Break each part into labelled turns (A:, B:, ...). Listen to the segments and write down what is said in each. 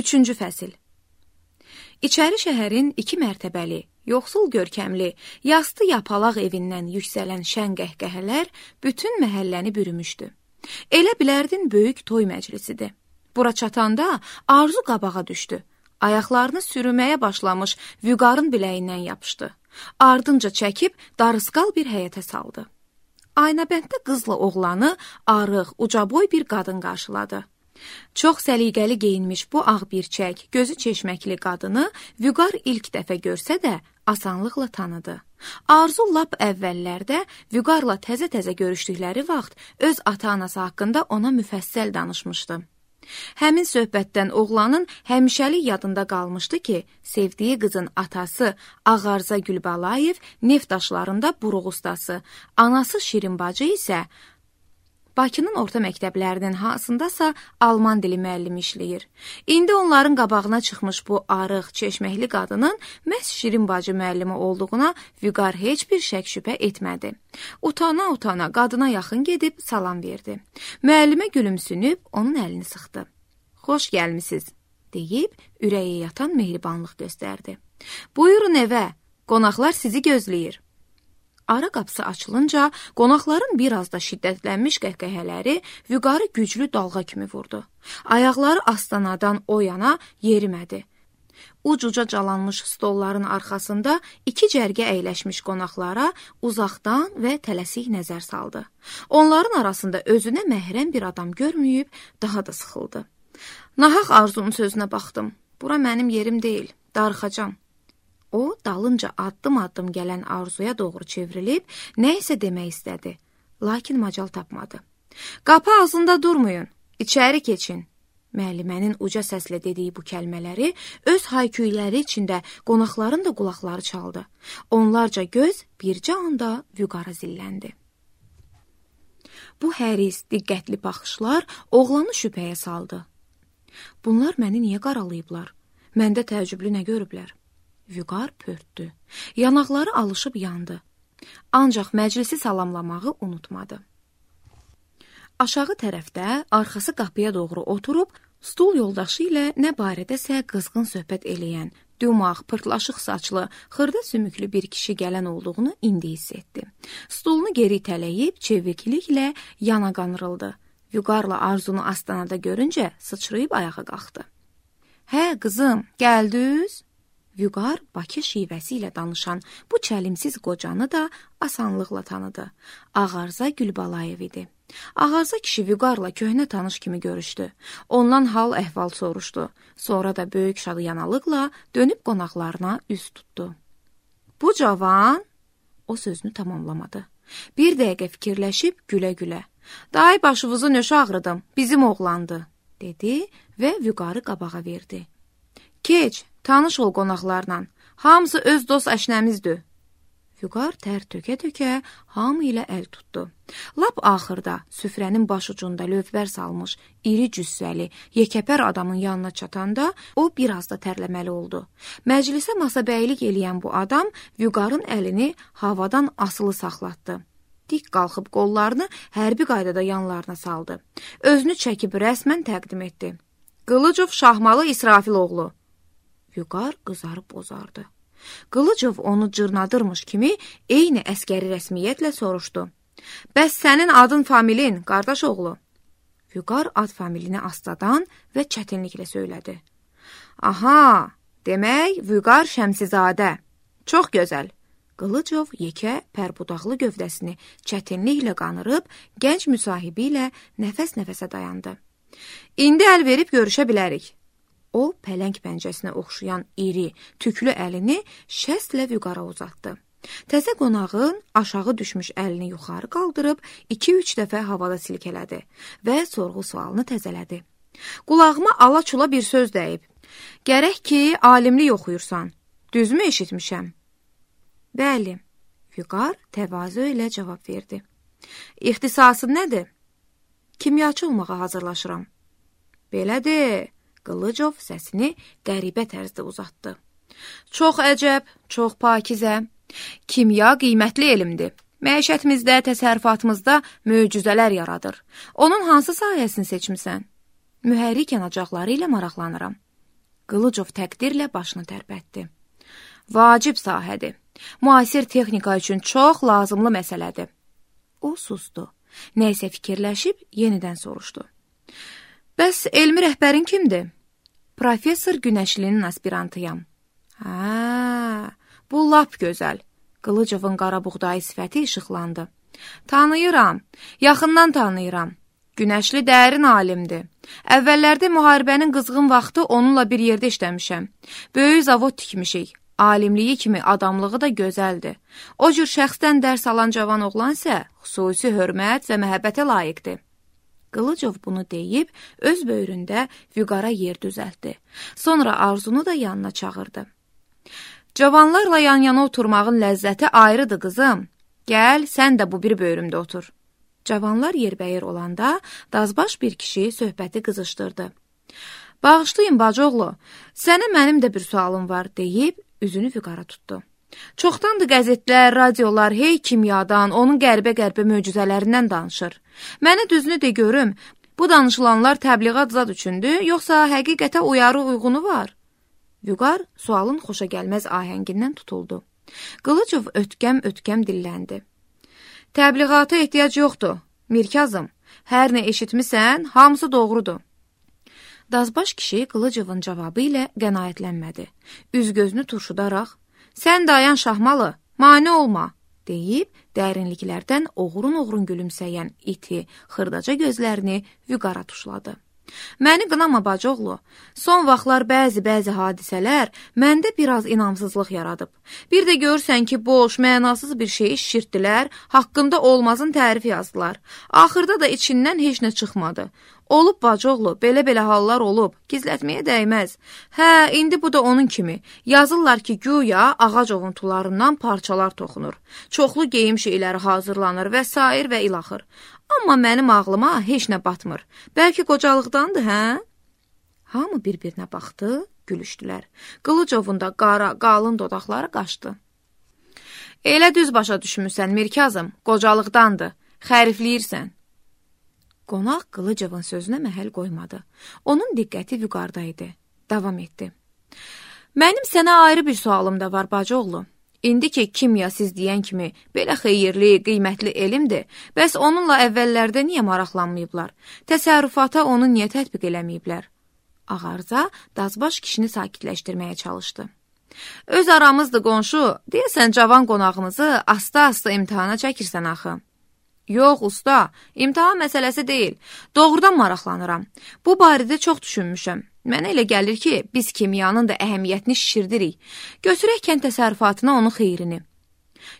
A: 3-cü fəsil. İçəri şəhərin 2 mərtəbəli, yoxsul görkəmli, yastı yapalaq evindən yüksələn şən qəhqəhələr bütün məhəlləni bürümüşdü. Elə bilərdin böyük toy məclisidir. Bura çatanda Arzu qabağa düşdü. Ayaqlarını sürüməyə başlamış Vüqarın biləyindən yapışdı. Ardınca çəkib darısqal bir həyətə saldı. Aynabənddə qızla oğlanı arıq, ucaboy bir qadın qarşıladı. Çox səliqəli geyinmiş bu ağ birçək, gözü çeşməkli qadını Vüqar ilk dəfə görsə də asanlıqla tanıdı. Arzu lap əvvəllərdə Vüqarla təzə-təzə görüşdükləri vaxt öz ata-anası haqqında ona müfəssəl danışmışdı. Həmin söhbətdən oğlanın həmişəlik yadında qalmışdı ki, sevdiyi qızın atası Ağarza Gülbalayev neft daşlarında buruq ustası, anası Şirin bacı isə Bakının orta məktəblərinin hansındasa alman dili müəllimi işləyir. İndi onların qabağına çıxmış bu arıq, çeşməkli qadının məhz Şirin bacı müəllimi olduğuna Vüqar heç bir şək-şübhə etmədi. Utana-utana qadına yaxın gedib salam verdi. Müəllimə gülümsünüb onun əlini sıxdı. Xoş gəlmisiniz, deyib ürəyə yatan mehribanlıq göstərdi. Buyurun evə, qonaqlar sizi gözləyir. Ara qapısı açılınca qonaqların biraz da şiddətlənmiş qəhqəhələri Vüqarı güclü dalğa kimi vurdu. Ayaqları astanadan o yana yerimədi. Uc-uca calanmış stolların arxasında 2 cərgə əyləşmiş qonaqlara uzaqdan və tələsik nəzər saldı. Onların arasında özünə məhrəm bir adam görməyib daha da sıxıldı. Nahaq Arzunun sözünə baxdım. Bura mənim yerim deyil, darıxacam. O, dalınca addım-addım gələn Arzuya doğru çevrilib, nə isə demək istədi, lakin macal tapmadı. Qapı ağzında durmayın, içəri keçin. Müəllimənin uca səslə dediyi bu kəlmələri öz hayküyləri içində qonaqların da qulaqları çaldı. Onlarca göz bircə anda Vüqara zilləndi. Bu həris, diqqətli baxışlar oğlanı şübhəyə saldı. Bunlar məni niyə qaralayıblar? Məndə təəccüblü nə görüblər? Vüqar pörtdü. Yanaqları alışıb yandı. Ancaq məclisi salamlamağı unutmadı. Aşağı tərəfdə, arxası qapıya doğru oturub, stul yoldaşı ilə nə barədəsə qızğın söhbət eləyən, dümaq, pırtlaşıq saçlı, xırda sümüklü bir kişi gələn olduğunu indi hiss etdi. Stulunu geri itələyib, çevikliklə yana qanırıldı. Vüqarla Arzunu astanada görüncə sıçrayıb ayağa qalxdı. Hə, qızım, gəldiniz? Vüqar Bakı şivəsi ilə danışan bu çəlimsiz qocanı da asanlıqla tanıdı. Ağarza Gülbalayev idi. Ağarza kişi Vüqarla köhnə tanış kimi görüşdü. Ondan hal əhval soruşdu. Sonra da böyük şadıyanalıqla dönüb qonaqlarına üz tutdu. Bu cavan, o sözünü tamamlamadı. Bir dəqiqə fikirləşib gülə-gülə. Day başınızı nöşə ağrıdım, bizim oğlandı, dedi və Vüqarı qabağa verdi. Keç, tanış ol qonaqlarla, hamısı öz dost əşnəmizdir. Vüqar tər tökə-tökə hamı ilə əl tutdu. Lap axırda süfrənin başucunda lövbər salmış, iri cüssəli, yekəpər adamın yanına çatanda o biraz da tərləməli oldu. Məclisə masabəylik eləyən bu adam Vüqarın əlini havadan asılı saxlatdı. Dik qalxıb qollarını hərbi qaydada yanlarına saldı. Özünü çəkib rəsmən təqdim etdi. Qılıcov Şahmalı İsrafiloğlu. Vüqar qızarıb bozardı. Qılıcov onu cırnadırmış kimi eyni əskəri rəsmiyyətlə soruşdu. Bəs sənin adın familin, qardaş oğlu? Vüqar ad familini astadan və çətinliklə söylədi. Aha, demək Vüqar Şəmsizadə. Çox gözəl. Qılıcov yekə, pərbudaqlı gövdəsini çətinliklə qanırıb, gənc müsahibi ilə nəfəs-nəfəsə dayandı. İndi əl verib görüşə bilərik. O, pələng pəncəsinə oxşayan iri, tüklü əlini şəstlə Vüqara uzatdı. Təzə qonağın aşağı düşmüş əlini yuxarı qaldırıb 2-3 dəfə havada silkələdi və sorğu-sualını təzələdi. Qulağıma ala-çula bir söz dəyib. Gərək ki, alimlik oxuyursan. Düzmü eşitmişəm? Bəli, Vüqar təvazö ilə cavab verdi. İxtisasın nədir? Kimyaçı olmağa hazırlaşıram. Belədir. Qılıcov səsini qəribə tərzdə uzatdı. Çox əcəb, çox pakizə. Kimya qiymətli elmdir. Məişətimizdə, təsərrüfatımızda möcüzələr yaradır. Onun hansı sahəsini seçmisən? Mühərrik yanacaqları ilə maraqlanıram. Qılıcov təqdirlə başını tərpətdi. Vacib sahədir. Müasir texnika üçün çox lazımlı məsələdir. O susdu. Nəysə fikirləşib yenidən soruşdu. Bəs elmi rəhbərin kimdir? Professor Günəşlinin aspirantıyam. Bu lap gözəl. Qılıcovun qara buğdayı sifəti işıqlandı. Tanıyıram, yaxından tanıyıram. Günəşli dərin alimdir. Əvvəllərdə müharibənin qızğın vaxtı onunla bir yerdə işləmişəm. Böyük zavod tikmişik. Alimliyi kimi adamlığı da gözəldir. O cür şəxsdən dərs alan cavan oğlan isə xüsusi hörmət və məhəbbətə layiqdir. Qılıcov bunu deyib, öz böyründə vüqara yer düzəltdi. Sonra Arzunu da yanına çağırdı. Cavanlarla yan-yana oturmağın ləzzəti ayrıdır, qızım. Gəl, sən də bu bir böyrümdə otur. Cavanlar yerbəyir olanda, dazbaş bir kişi söhbəti qızışdırdı. Bağışlayın, bacıoğlu, sənə mənim də bir sualım var, deyib, üzünü vüqara tutdu. Çoxdandır qəzetlər, radiolar, hey kimyadan, onun qəribə-qəribə möcüzələrindən danışır. Mənə düzünü de görüm, bu danışılanlar təbliğat zad üçündür, yoxsa həqiqətə uyarı uygunu var? Vüqar sualın xoşa gəlməz ahəngindən tutuldu. Qılıcov ötkəm-ötkəm dilləndi. Təbliğata ehtiyac yoxdur, Mirkazım. Hər nə eşitmisən, hamısı doğrudur. Dazbaş kişi Qılıcovun cavabı ilə qənaətlənmədi. Üz-gözünü turşudaraq, sən dayan Şahmalı, mane olma, deyib dərinliklərdən oğrun-oğrun gülümsəyən iti, xırdaca gözlərini vüqara tuşladı. Məni qınama bacıoğlu, son vaxtlar bəzi hadisələr məndə biraz inamsızlıq yaradıb. Bir də görürsən ki, boş, mənasız bir şeyi şişirtdilər, haqqında olmazın tərifi yazdılar. Axırda da içindən heç nə çıxmadı. Olub bacıoğlu, belə hallar olub, gizlətməyə dəyməz. Hə, indi bu da onun kimi. Yazırlar ki, güya ağac ovuntularından parçalar toxunur. Çoxlu geyim şeyləri hazırlanır və sair və ilaxır. Amma mənim ağlıma heç nə batmır. Bəlkə qocalıqdandır, hə? Hamı bir-birinə baxdı, gülüşdülər. Qılıcovun da qara, qalın dodaqları qaşdı. Elə düz başa düşmüsən, Mirkazım, qocalıqdandır, xərifləyirsən. Qonaq Qılıcovun sözünə məhəl qoymadı. Onun diqqəti vüqarda idi. Davam etdi. Mənim sənə ayrı bir sualım da var, bacıoğlu. İndi ki, kimya siz deyən kimi belə xeyirli, qiymətli elmdir, bəs onunla əvvəllərdə niyə maraqlanmayıblar? Təsərrüfata onu niyə tətbiq eləməyiblər? Ağarza dazbaş kişini sakitləşdirməyə çalışdı. Öz aramızdır qonşu, deyəsən cavan qonağımızı asta-asta imtihana çəkirsən axı. Yox, usta, imtahan məsələsi deyil. Doğrudan maraqlanıram. Bu barədə çox düşünmüşəm. Mənə elə gəlir ki, biz kimyanın da əhəmiyyətini şişirdirik. Götürək kənd təsərrüfatına onun xeyrini.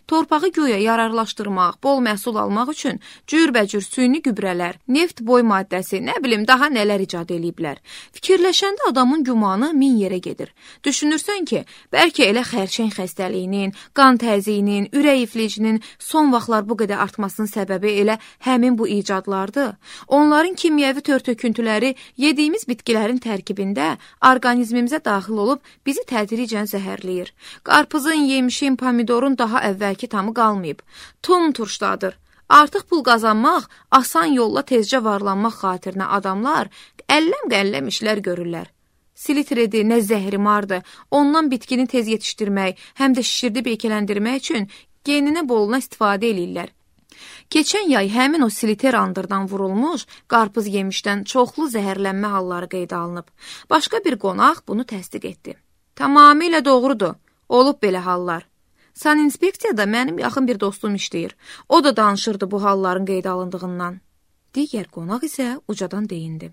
A: Torpağı güya yararlaşdırmaq, bol məhsul almaq üçün cürbəcür süni gübrələr, neft boy maddəsi, nə bilim, daha nələr icad eləyiblər. Fikirləşəndə adamın gümanı min yerə gedir. Düşünürsən ki, bəlkə elə xərçəng xəstəliyinin, qan təziyinin, ürək iflicinin son vaxtlar bu qədər artmasının səbəbi elə həmin bu icadlardır. Onların kimyəvi tör-töküntüləri yediyimiz bitkilərin tərkibində orqanizmimizə daxil olub bizi tədricən zəhərləyir. Qarpızın, yemişin, pomidorun daha əvvəlki tamı qalmayıb. Tum turşdadır. Artıq pul qazanmaq, asan yolla tezcə varlanmaq xatirinə adamlar əlləm-qəlləm işlər görürlər. Silitredi, nə zəhrimardır, ondan bitkini tez yetişdirmək, həm də şişirdi beykələndirmək üçün geninə boluna istifadə eləyirlər. Keçən yay həmin o siliter andırdan vurulmuş qarpız yemişdən çoxlu zəhərlənmə halları qeydə alınıb. Başqa bir qonaq bunu təsdiq etdi. Tamamilə doğrudur, olub belə hallar. Saninspeksiyada mənim yaxın bir dostum işləyir. O da danışırdı bu halların qeydə alındığından. Digər qonaq isə ucadan deyindi.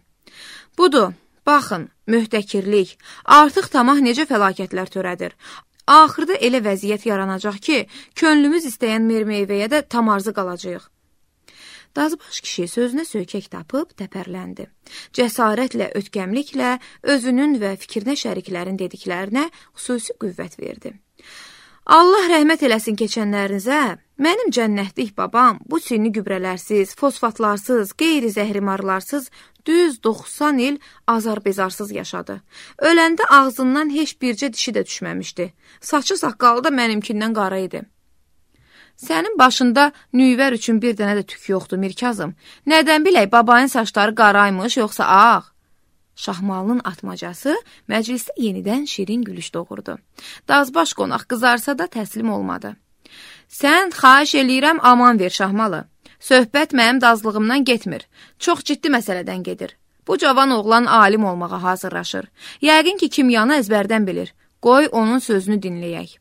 A: Budur, baxın, mühtəkirlik, artıq tamah necə fəlakətlər törədir. Axırda elə vəziyyət yaranacaq ki, könlümüz istəyən mermeyvəyə də tam arzı qalacaq. Dazbaş kişi sözünə söykək tapıb təpərləndi. Cəsarətlə, ötkəmliklə özünün və fikrinə şəriklərin dediklərinə xüsusi qüvvət verdi. Allah rəhmət eləsin keçənlərinizə, mənim cənnətlik babam bu süni gübrələrsiz, fosfatlarsız, qeyri-zəhrimarlarsız düz 90 il azar-bezarsız yaşadı. Öləndə ağzından heç bircə dişi də düşməmişdi. Saçı saqqalı da mənimkindən qara idi. Sənin başında nüyvər üçün bir dənə də tük yoxdur, Mirkazım. Nədən bilək, babanın saçları qaraymış, yoxsa ağ? Şahmalının atmacası məclisdə yenidən şirin gülüş doğurdu. Dazbaş qonaq qızarsa da təslim olmadı. Sən xahiş eləyirəm aman ver Şahmalı. Söhbət mənim dazlığımdan getmir. Çox ciddi məsələdən gedir. Bu cavan oğlan alim olmağa hazırlaşır. Yəqin ki, kimyanı əzbərdən bilir. Qoy onun sözünü dinləyək.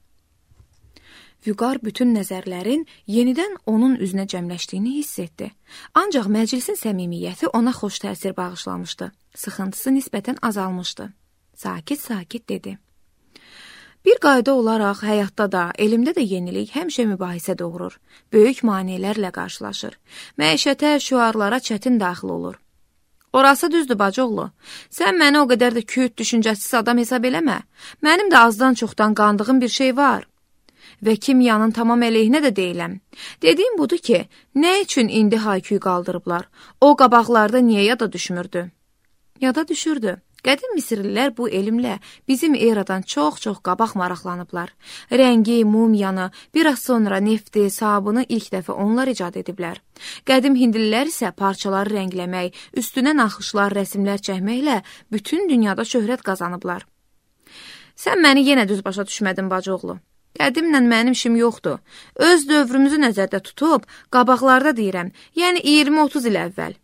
A: Vüqar bütün nəzərlərin yenidən onun üzünə cəmləşdiyini hiss etdi. Ancaq məclisin səmimiyyəti ona xoş təsir bağışlamışdı. Sıxıntısı nisbətən azalmışdı. Sakit-sakit dedi. Bir qayda olaraq həyatda da, elmdə də yenilik həmişə mübahisə doğurur. Böyük maneələrlə qarşılaşır. Məişətə, şüarlara çətin daxil olur. Orası düzdür, bacıoğlu. Sən məni o qədər də küt, düşüncəsiz adam hesab eləmə. Mənim də azdan çoxdan qandığım bir şey var. Və kimyanın tamam əleyhinə də deyiləm. Dediyim budur ki, nə üçün indi hayküy qaldırıblar? O qabaqlarda niyə yada düşmürdü? Yada düşürdü. Qədim Misirlilər bu elmlə bizim eradan çox-çox qabaq maraqlanıblar. Rəngi, mumyanı, biraz sonra nefti, sabunu ilk dəfə onlar icad ediblər. Qədim Hindlilər isə parçaları rəngləmək, üstünə naxışlar, rəsimlər çəkməklə bütün dünyada şöhrət qazanıblar. Sən məni yenə düz başa düşmədin, bacıoğlu. Qədimlə mənim işim yoxdur. Öz dövrümüzü nəzərdə tutub, qabaqlarda deyirəm, yəni 20-30 il əvvəl.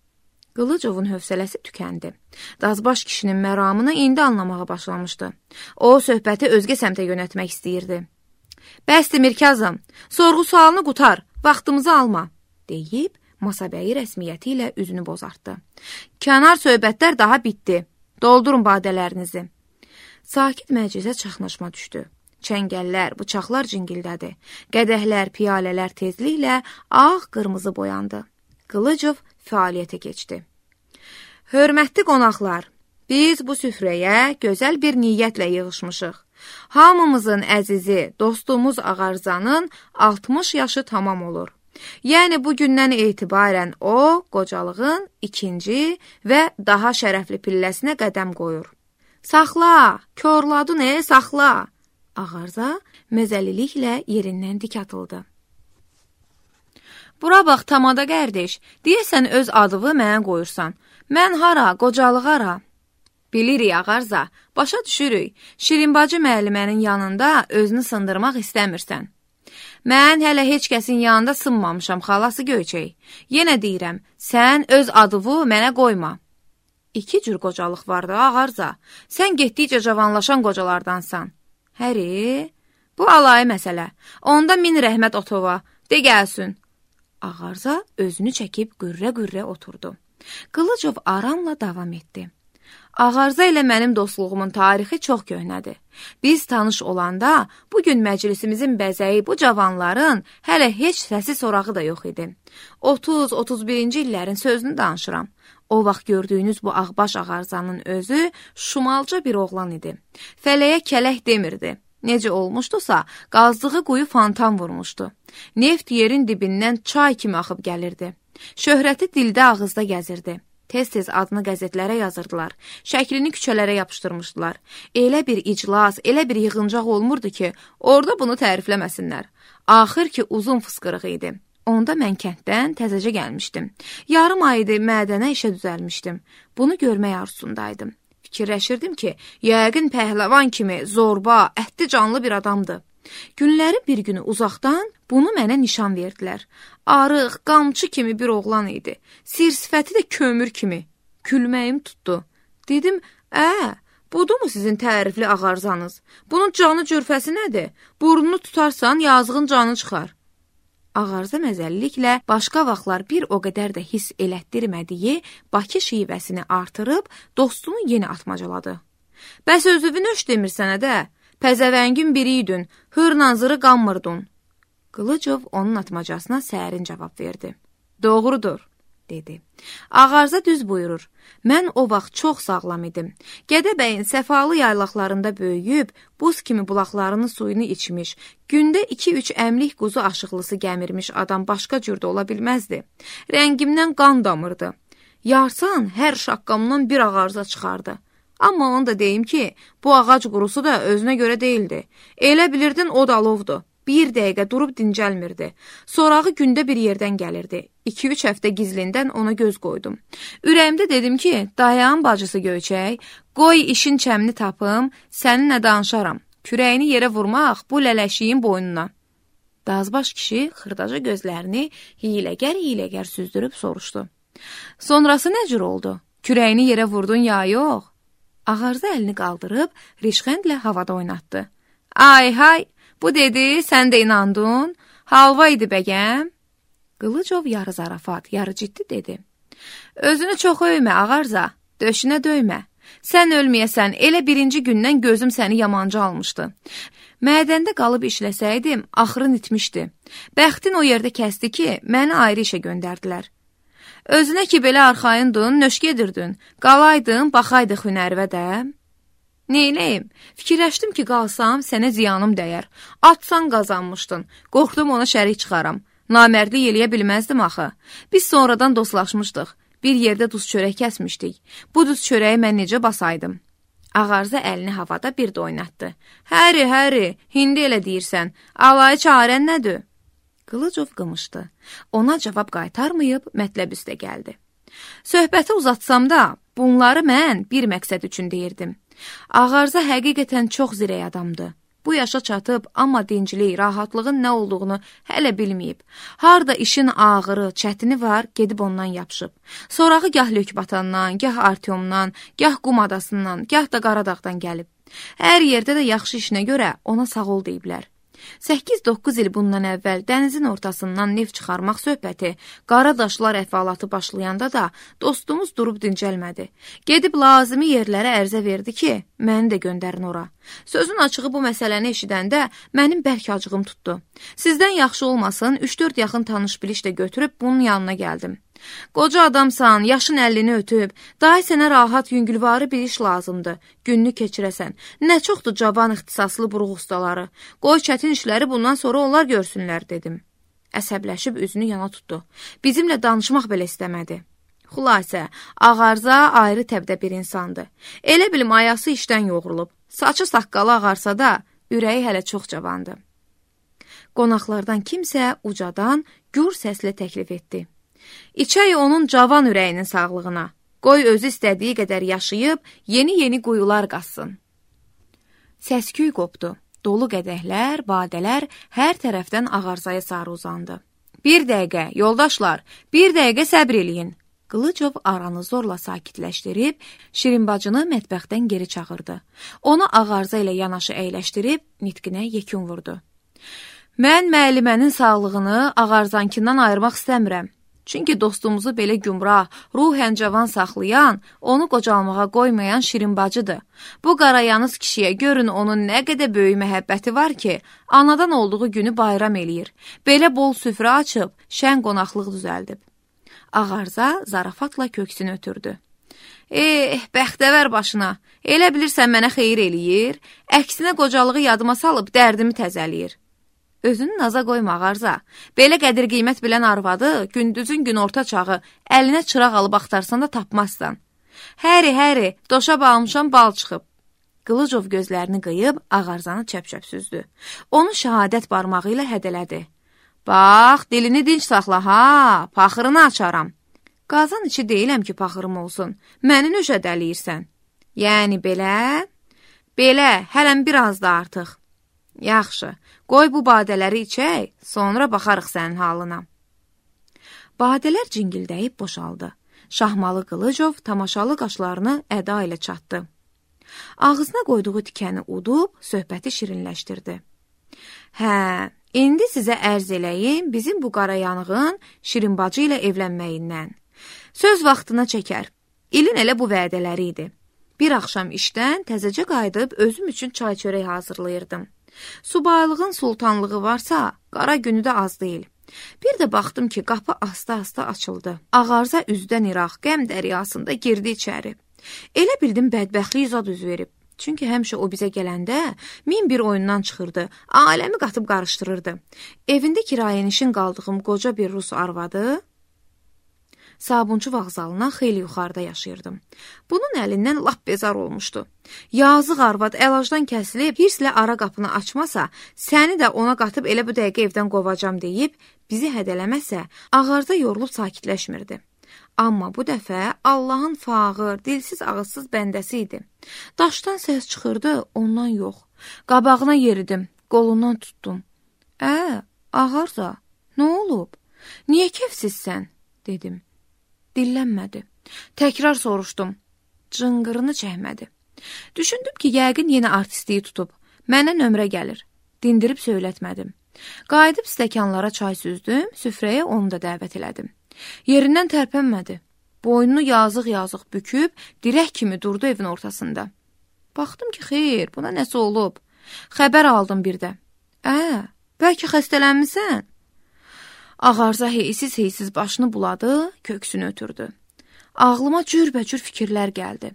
A: Qılıcovun hövsələsi tükəndi. Dazbaş kişinin məramını indi anlamağa başlamışdı. O, söhbəti özgə səmtə yönətmək istəyirdi. Bəsdir Mirkazım, sorğu sualını qutar, vaxtımızı alma, deyib, masabəyi rəsmiyyəti ilə üzünü bozartdı. Kənar söhbətlər daha bitdi. Doldurun badələrinizi. Sakit məclisə çaxnaşma düşdü. Çəngəllər, bıçaqlar cingildədi. Qədəhlər, piyalələr tezliklə ağ-qırmızı boyandı. Qılıcov fəaliyyətə keçdi. Hörmətli qonaqlar, biz bu süfrəyə gözəl bir niyyətlə yığışmışıq. Hamımızın əzizi, dostumuz Ağarzanın 60 yaşı tamam olur. Yəni bugündən etibarən o, qocalığın ikinci və daha şərəfli pilləsinə qədəm qoyur. Saxla, körladın saxla. Ağarza məzəliliklə yerindən dik atıldı. Bura bax, tamada qardeş, deyəsən öz adını mənə qoyursan. Mən hara, qocalıq hara? Bilirik, Ağarza, başa düşürük. Şirinbacı müəllimənin yanında özünü sındırmaq istəmirsən. Mən hələ heç kəsin yanında sınmamışam, xalası Göyçək. Yenə deyirəm, sən öz adını mənə qoyma. İki cür qocalıq vardı, Ağarza. Sən getdikcə cavanlaşan qocalardansan. Həri, bu alayı məsələ. Onda min rəhmət otova, de gəlsin. Ağarza özünü çəkib qürrə-qürrə oturdu. Qılıcov aramla davam etdi. Ağarza ilə mənim dostluğumun tarixi çox köhnədir. Biz tanış olanda bugün məclisimizin bəzəyi bu cavanların hələ heç səsi sorağı da yox idi. 30-31-ci illərin sözünü danışıram. O vaxt gördüyünüz bu ağbaş Ağarzanın özü şumalca bir oğlan idi. Fələyə kələk demirdi. Necə olmuşdusa, qazdığı quyu fantan vurmuşdu. Neft yerin dibindən çay kimi axıb gəlirdi. Şöhrəti dildə ağızda gəzirdi. Tez-tez adını qəzetlərə yazırdılar. Şəklini küçələrə yapışdırmışdılar. Elə bir iclas, elə bir yığıncaq olmurdu ki, orada bunu tərifləməsinlər. Axır ki, uzun fısqırıq idi. Onda mən kənddən təzəcə gəlmişdim. Yarım aydı mədənə işə düzəlmişdim. Bunu görmək arzusundaydım. Fikirləşirdim ki, yəqin pəhləvan kimi zorba, ətli canlı bir adamdır. Günlərin bir günü uzaqdan bunu mənə nişan verdilər. Arıq, qamçı kimi bir oğlan idi. Sir-sifəti də kömür kimi. Gülməyim tutdu. Dedim, budur mu sizin tərifli Ağarzanız? Bunun canı cürfəsi nədir? Burnunu tutarsan yazığın canı çıxar. Ağarza məzəlliklə başqa vaxtlar bir o qədər də hiss elətdirmədiyi Bakı şivəsini artırıb dostunu yenə atmacaladı. Bəs özünü nöş demirsən də, pəzəvəngin biriydin, hır-nazırı qanmırdın. Qılıcov onun atmacasına sərin cavab verdi. Doğrudur, dedi. Ağarza düz buyurur. Mən o vaxt çox sağlam idim. Gədəbəyin səfalı yaylaqlarında böyüyüb, buz kimi bulaqlarının suyunu içmiş, gündə 2-3 əmlik quzu aşıqlısı gəmirmiş adam başqa cürdə ola bilməzdi. Rəngimdən qan damırdı. Yarsan hər şaqqamdan bir ağarza çıxardı. Amma onu da deyim ki, bu ağac qurusu da özünə görə deyildi. Elə bilirdin o da alovdur. Bir dəqiqə durub dincəlmirdi. Sorağı gündə bir yerdən gəlirdi. 2-3 həftə gizlindən ona göz qoydum. Ürəyimdə dedim ki, dayan bacısı Göyçək, qoy işin çəmini tapım, səninlə danışaram. Kürəyini yerə vurmaq bu lələşiyin boynuna. Dazbaş kişi xırdaca gözlərini hiyləgər süzdürüb soruşdu. Sonrası nə cür oldu? Kürəyini yerə vurdun ya yox? Ağarza əlini qaldırıb rişxəndlə havada oynatdı. Ay hay! Bu dedi, sən də inandın, halva idi bəgəm. Qılıcov yarı zarafat, yarı ciddi dedi. Özünü çox öymə, ağarza, döşünə döymə. Sən ölməyəsən, elə birinci gündən gözüm səni yamanca almışdı. Mədəndə qalıb işləsəydim, axırın itmişdi. Bəxtin o yerdə kəsdi ki, məni ayrı işə göndərdilər. Özünə ki, belə arxayındın, nöş gedirdin, qalaydın, baxaydıq hünərvə də. Neyləyim? Fikirləşdim ki, qalsam, sənə ziyanım dəyər. Atsan qazanmışdın. Qorxdum ona şərik çıxaram. Namərdlik eləyə bilməzdim axı. Biz sonradan dostlaşmışdıq. Bir yerdə duz çörək kəsmişdik. Bu duz çörəyi mən necə basaydım? Ağarza əlini havada bir də oynatdı. Həri, hindi elə deyirsən. Alayı çarən nədir? Qılıcov qımışdı. Ona cavab qaytarmayıb mətləb üstə gəldi. Söhbəti uzatsam da, bunları mən bir məqsəd üçün deyirdim. Ağarza həqiqətən çox zirək adamdır. Bu yaşa çatıb, amma dinclik, rahatlığın nə olduğunu hələ bilməyib. Harda işin ağırı, çətini var, gedib ondan yapışıb. Sorağı gah Lökbatandan, gah Artyomdan, gah Qum adasından, gah da Qaradağdan gəlib. Hər yerdə də yaxşı işinə görə ona sağ ol deyiblər. 8-9 il bundan əvvəl dənizin ortasından neft çıxarmaq söhbəti, qara daşlar əhvalatı başlayanda da dostumuz durub dincəlmədi. Gedib lazımi yerlərə ərzə verdi ki, məni də göndərin ora. Sözün açığı bu məsələni eşidəndə mənim bərk acığım tutdu. Sizdən yaxşı olmasın, 3-4 yaxın tanış-biliş də götürüb bunun yanına gəldim. Qoca adamsan, yaşın 50-ni ötüb, day sənə rahat, yüngülvarı bir iş lazımdır, gününü keçirəsən. Nə çoxdur cavan ixtisaslı buruq ustaları. Qoy çətin işləri bundan sonra onlar görsünlər, dedim. Əsəbləşib üzünü yana tutdu. Bizimlə danışmaq belə istəmədi. Xülasə, ağarza ayrı təbdə bir insandır. Elə bilim ayası işdən yoğrulub. Saçı saqqalı ağarsa da, ürəyi hələ çox cavandır. Qonaqlardan kimsə ucadan gür səslə təklif etdi. İçək onun cavan ürəyinin sağlığına. Qoy özü istədiyi qədər yaşayıb, yeni quyular qazsın. Səsküy qopdu. Dolu qədəhlər, badələr hər tərəfdən ağarzaya sarı uzandı. Bir dəqiqə, yoldaşlar, bir dəqiqə səbr eləyin. Qılıcov aranı zorla sakitləşdirib, Şirinbacını mətbəxdən geri çağırdı. Onu ağarza ilə yanaşı əyləşdirib, nitqinə yekun vurdu. Mən müəllimənin sağlığını ağarzankindən ayırmaq istəmirəm. Çünki dostumuzu belə gümrah, ruhən cavan saxlayan, onu qocalmağa qoymayan Şirinbacıdır. Bu qarayanız kişiyə görün onun nə qədər böyük məhəbbəti var ki, anadan olduğu günü bayram eləyir. Belə bol süfrə açıb, şən qonaqlıq düzəldib. Ağarza zarafatla köksünü ötürdü. Bəxtəvər başına, elə bilirsən mənə xeyir eləyir, əksinə qocalığı yadıma salıb dərdimi təzələyir. Özünü naza qoyma ağarza. Belə qədir qiymət bilən arvadı, gündüzün gün orta çağı, əlinə çıraq alıb axtarsan da tapmazsan. Həri, doşa bağlamışam, bal çıxıb. Qılıcov gözlərini qıyıb, ağarzanı çəp-çəp süzdü. Onu şəhadət barmağı ilə hədələdi. Bax, dilini dinç saxla, ha, paxırını açaram. Qazan içi deyiləm ki, paxırım olsun. Məni nöşə dəliyirsən. Yəni belə? Belə, hələm biraz da artıq. Yaxşı, qoy bu badələri içək, sonra baxarıq sənin halına. Badələr cingildəyib boşaldı. Şahmalı Qılıcov tamaşalı qaşlarını əda ilə çatdı. Ağzına qoyduğu tikəni udub, söhbəti şirinləşdirdi. Hə, indi sizə ərz eləyim bizim bu qarayanığın Şirinbacı ilə evlənməyindən. Söz vaxtına çəkər. İlin elə bu vədələri idi. Bir axşam işdən təzəcə qayıdıb özüm üçün çay çörək hazırlayırdım. Subaylığın sultanlığı varsa, qara günü də az deyil. Bir də baxdım ki, qapı asta-asta açıldı. Ağarza üzdən iraq, qəm dəryasında girdi içəri. Elə bildim bədbəxtlik zad üz verib. Çünki həmişə o bizə gələndə min bir oyundan çıxırdı, aləmi qatıb qarışdırırdı. Evində kirayənişin qaldığım qoca bir rus arvadı, Sabunçu vağzalından xeyli yuxarıda yaşayırdım. Bunun əlindən lap bezar olmuşdu. Yazıq arvad əlacdan kəsilib, hirslə ara qapını açmasa, səni də ona qatıb elə bu dəqiqə evdən qovacam deyib, bizi hədələməsə, ağarda yorulub sakitləşmirdi. Amma bu dəfə Allahın fağır, dilsiz ağızsız bəndəsi idi. Daşdan səs çıxırdı, ondan yox. Qabağına yeridim, qolundan tutdum. Ağarza, nə olub? Niyə kefsizsən? Dedim. Dillənmədi. Təkrar soruşdum. Cınqırını çəkmədi. Düşündüm ki, yəqin yenə artistliyi tutub. Mənə nömrə gəlir. Dindirib söylətmədim. Qayıdıb stəkanlara çay süzdüm, süfrəyə onu da dəvət elədim. Yerindən tərpənmədi. Boynunu yazıq-yazıq büküb, dirək kimi durdu evin ortasında. Baxdım ki, xeyr, buna nəsə olub. Xəbər aldım bir də. Bəlkə xəstələnmisən? Ağarza heysiz başını buladı, köksünü ötürdü. Ağlıma cürbəcür fikirlər gəldi.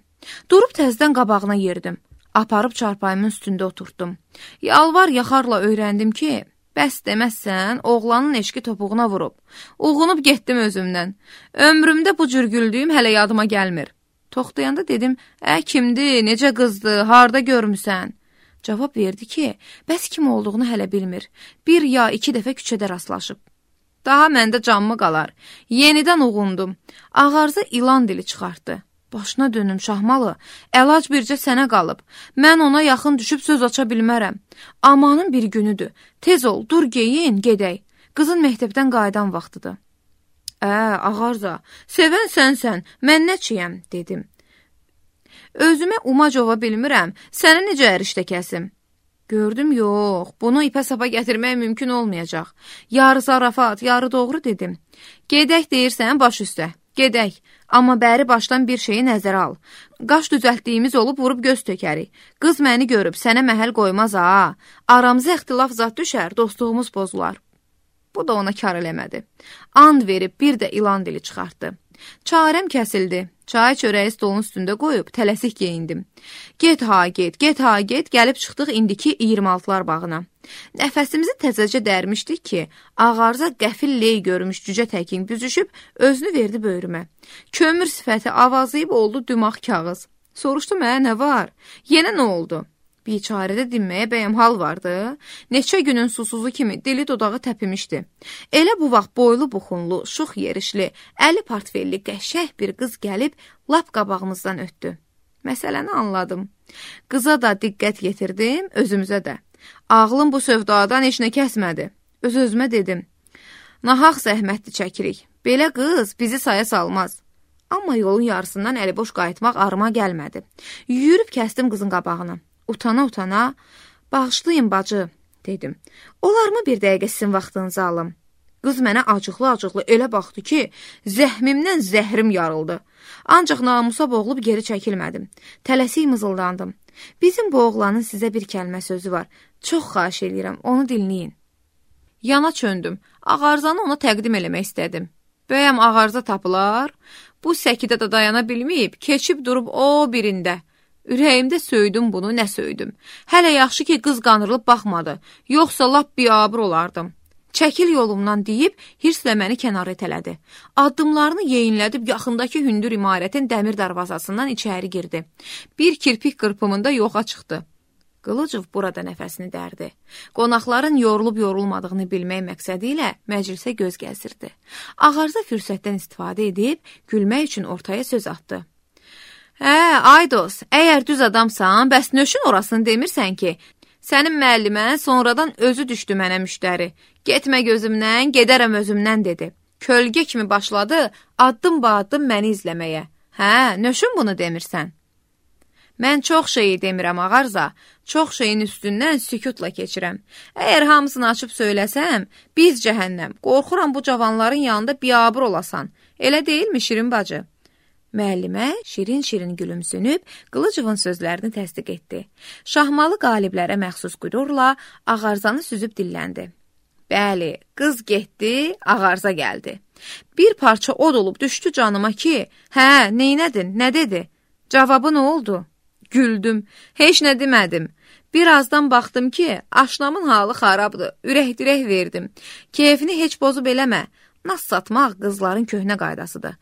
A: Durub təzdən qabağına yerdim. Aparıb çarpayımın üstündə oturtdum. Yalvar yaxarla öyrəndim ki, bəs deməzsən, oğlanın eşki topuğuna vurub. Uğunub getdim özümdən. Ömrümdə bu cür güldüyüm hələ yadıma gəlmir. Toxtayanda dedim, kimdir, necə qızdı, harda görmüsən? Cavab verdi ki, bəs kim olduğunu hələ bilmir. Bir ya iki dəfə küçədə rastlaşıb. Daha məndə canmı qalar. Yenidən uğundum. Ağarza ilan dili çıxartdı. Başına dönüm Şahmalı, əlac bircə sənə qalıb. Mən ona yaxın düşüb söz aça bilmərəm. Amanın bir günüdür. Tez ol, dur geyin, gedək. Qızın məktəbdən qayıdan vaxtıdır. Ağarza, sevən sənsən, mən nəçiyəm, dedim. Özümə umac ova bilmirəm, səni necə ərişdə kəsim? Gördüm, yox, bunu ipə sapa gətirmək mümkün olmayacaq. Yarı zarafat, yarı doğru dedim. Gedək deyirsən baş üstə, gedək. Amma bəri başdan bir şeyi nəzərə al. Qaş düzəltdiyimiz olub vurub göz tökərik. Qız məni görüb, sənə məhəl qoymaz ha. Aramıza ixtilaf zat düşər, dostluğumuz pozular. Bu da ona kar eləmədi. And verib bir də ilan dili çıxartdı. Çarəm kəsildi. Çay çörəyi stolun üstündə qoyub tələsik geyindim. Get ha get, gəlib çıxdıq indiki 26-lar bağına. Nəfəsimizi təzəcə dərmişdik ki, ağarza qəfil ley görmüş cücə təkin büzüşüb, özünü verdi böyrümə. Kömür sifəti avazlayıb oldu dümağ kağız. Soruşdum, nə var? Yenə nə oldu? Biçarədə dinməyə bəyəm hal vardı. Neçə günün susuzu kimi dili dodağı təpimişdi. Elə bu vaxt boylu buxunlu, şux yerişli, əli portfelli qəşəh bir qız gəlib lap qabağımızdan ötdü. Məsələni anladım. Qıza da diqqət yetirdim, özümüzə də. Ağlım bu sövdadan heç nə kəsmədi. Öz-özümə dedim. Nahaq zəhmətli çəkirik. Belə qız bizi saya salmaz. Amma yolun yarısından əliboş qayıtmaq arıma gəlmədi. Yürüb kəsdim qızın qabağına. Utana-utana, bağışlayın bacı, dedim. Olarmı bir dəqiqə sizin vaxtınızı alım? Qız mənə acıqlı-acıqlı elə baxdı ki, zəhmimdən zəhrim yarıldı. Ancaq namusa boğulub geri çəkilmədim. Tələsik mızıldandım. Bizim bu oğlanın sizə bir kəlmə sözü var. Çox xahiş edirəm, onu dinləyin. Yana çöndüm. Ağarzanı ona təqdim eləmək istədim. Bəyəm ağarza tapılar? Bu səkidə də dayana bilməyib, keçib durub o birində. Ürəyimdə söydüm bunu, nə söydüm. Hələ yaxşı ki, qız qanırılıb baxmadı. Yoxsa lap biabır olardım. Çəkil yolumdan deyib, hirslə məni kənara itələdi. Addımlarını yeyinlədib, yaxındakı hündür imarətin dəmir darvazasından içəri girdi. Bir kirpik qırpımında yoxa çıxdı. Qılıcov burada nəfəsini dərdi. Qonaqların yorulub-yorulmadığını bilmək məqsədi ilə məclisə göz gəzirdi. Ağarza fürsətdən istifadə edib, gülmək üçün ortaya söz atdı. Aydos, əgər düz adamsan, bəs nöşün orasını demirsən ki, sənin müəllimən sonradan özü düşdü mənə müştəri. Getmə gözümdən, gedərəm özümdən, dedi. Kölgə kimi başladı, addım-baddım məni izləməyə. Nöşün bunu demirsən? Mən çox şeyi demirəm, ağarza, çox şeyin üstündən sükutla keçirəm. Əgər hamısını açıb söyləsəm, biz cəhənnəm, qorxuram bu cavanların yanında biabır olasan. Elə deyilmi Şirin bacı? Müəllimə şirin-şirin gülümsünüb, Qılıcovun sözlərini təsdiq etdi. Şahmalı qaliblərə məxsus qürurla ağarzanı süzüb dilləndi. Bəli, qız getdi, ağarza gəldi. Bir parça od olub düşdü canıma ki, neynədin, nə dedi? Cavabı nə oldu? Güldüm, heç nə demədim. Birazdan baxdım ki, aşnamın halı xarabdır, ürək-dirək verdim. Keyfini heç bozub eləmə. Nas satmaq qızların köhnə qaydasıdır.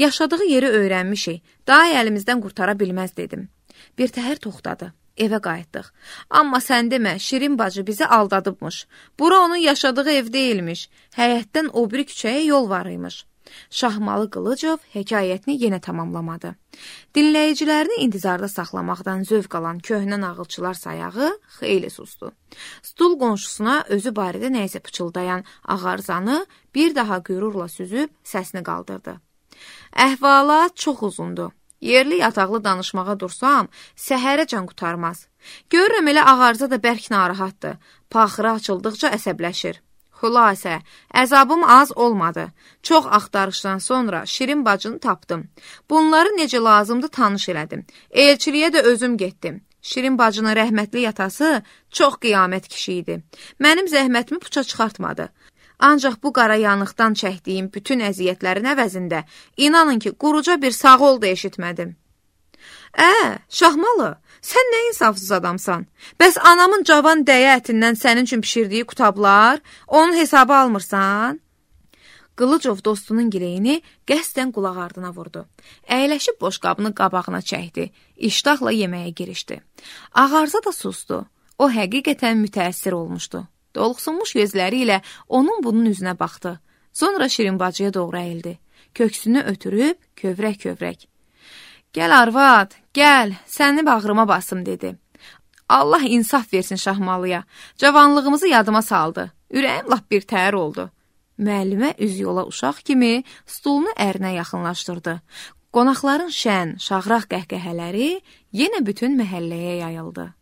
A: Yaşadığı yeri öyrənmişik, daha əlimizdən qurtara bilməz dedim. Bir təhər toxtadı. Evə qayıtdıq. Amma sən demə, Şirin bacı bizi aldadıbmış. Bura onun yaşadığı ev deyilmiş. Həyətdən o biri küçəyə yol var imiş. Şahmalı Qılıcov hekayətini yenə tamamlamadı. Dinləyicilərini intizarda saxlamaqdan zövq alan köhnə nağılçılar sayağı xeyli susdu. Stul qonşusuna özü barədə nəysə pıçıldayan Ağarzanı bir daha qürurla süzüb səsini qaldırdı. Əhvalat çox uzundur. Yerli yataqlı danışmağa dursam, səhərəcən qutarmaz. Görürəm elə Ağarza da bərk narahatdır. Paxırı açıldıqca əsəbləşir. Xülasə, əzabım az olmadı. Çox axtarışdan sonra Şirin bacını tapdım. Bunları necə lazımdı tanış elədim. Elçiliyə də özüm getdim. Şirin bacının rəhmətli yatası çox qiyamət kişi idi. Mənim zəhmətimi puça çıxartmadı. Ancaq bu qara yanıqdan çəkdiyim bütün əziyyətlərin əvəzində, inanın ki, quruca bir sağ ol da eşitmədim. Şahmalı, sən nə insafsız adamsan? Bəs anamın cavan dəyə ətindən sənin üçün pişirdiyi qutablar, onun hesabı almırsan? Qılıcov dostunun gileyini qəsdən qulaq ardına vurdu. Əyləşib boşqabını qabağına çəkdi. İştahla yeməyə girişdi. Ağarza da sustu. O həqiqətən mütəəssir olmuşdu. Doluxsunmuş gözləri ilə onun bunun üzünə baxdı. Sonra Şirin bacıya doğru əyildi. Köksünü ötürüb kövrək-kövrək. Gəl arvad, gəl, səni bağrıma basım, dedi. Allah insaf versin Şahmalıya. Cavanlığımızı yadıma saldı. Ürəyim lap bir təhər oldu. Müəllimə üz yola uşaq kimi stulunu ərinə yaxınlaşdırdı. Qonaqların şən, şahraq qəhqəhələri yenə bütün məhəlləyə yayıldı.